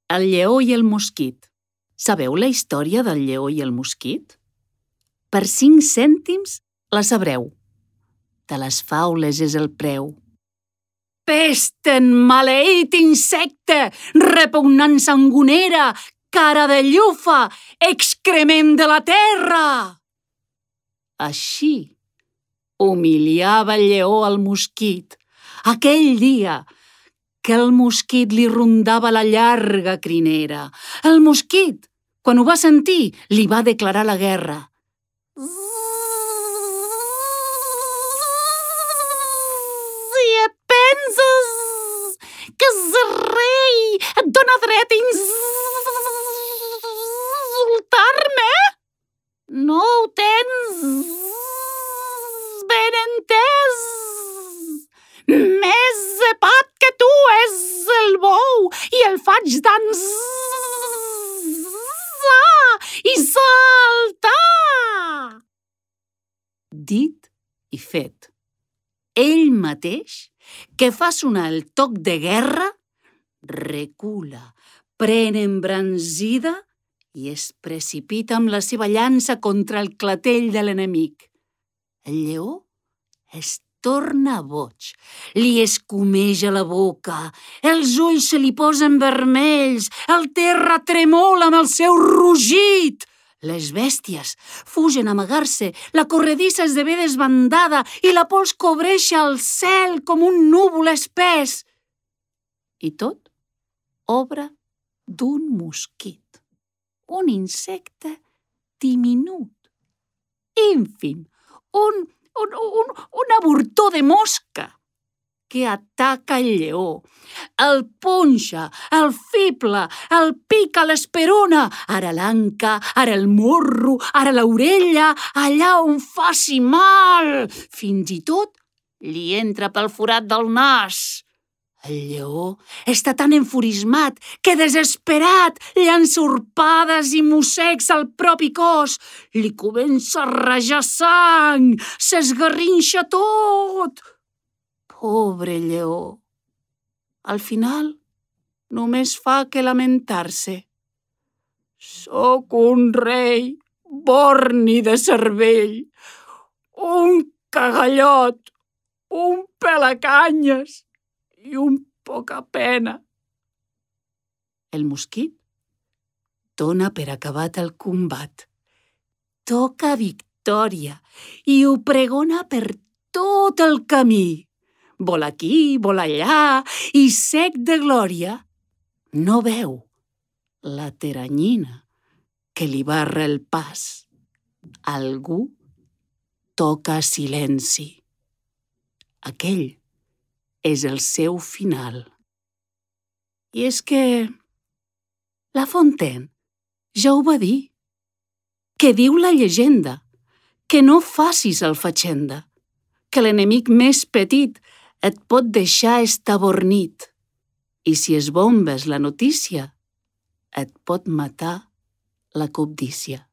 El lleó i el mosquit. Sabeu la història del lleó i el mosquit? Per 5 cèntims la sabreu. De les faules és el preu. Pesten, maleït insecte, repugnant sangonera, cara de llufa, excrement de la terra! Així humiliava el lleó al mosquit, aquell dia que el mosquit li rondava la llarga crinera. El mosquit, quan ho va sentir, li va declarar la guerra. Si et penses que ser rei et dona dret a insultar-me? No ho tens ben entès. Més cepat que tu és el bou i el faig dansar i saltar. Dit i fet. Ell mateix, que fa sonar el toc de guerra, recula, pren embranzida i es precipita amb la seva llança contra el clatell de l'enemic. El lleó es torna boig, li escumeja la boca, els ulls se li posen vermells, el terra tremola amb el seu rugit. Les bèsties fugen a amagar-se, la corredissa esdevé desbandada i la pols cobreix el cel com un núvol espès. I tot obra d'un mosquit, un insecte diminut, ínfim, un avortó de mosca que ataca el lleó, el punxa, el fibla, el pica l'esperona, ara l'anca, ara el morro, ara l'orella, allà on faci mal. Fins i tot li entra pel forat del nas. El lleó està tan enfurismat que, desesperat, llança urpades i mossecs al propi cos. Li comença a rajar sang, s'esgarrinxa tot. Pobre lleó. Al final, només fa que lamentar-se. Soc un rei borni de cervell, un cagallot, un pelacanyes i un poca pena. El mosquit dona per acabat el combat. Toca victòria i ho pregona per tot el camí. Vol aquí, vol allà, i sec de glòria, no veu la teranyina que li barra el pas. Algú toca silenci. Aquell és el seu final. I és que La Fontaine ja ho va dir, que diu la llegenda, que no facis el fatxenda, que l'enemic més petit et pot deixar estabornit i si esbombes la notícia et pot matar la cobdícia.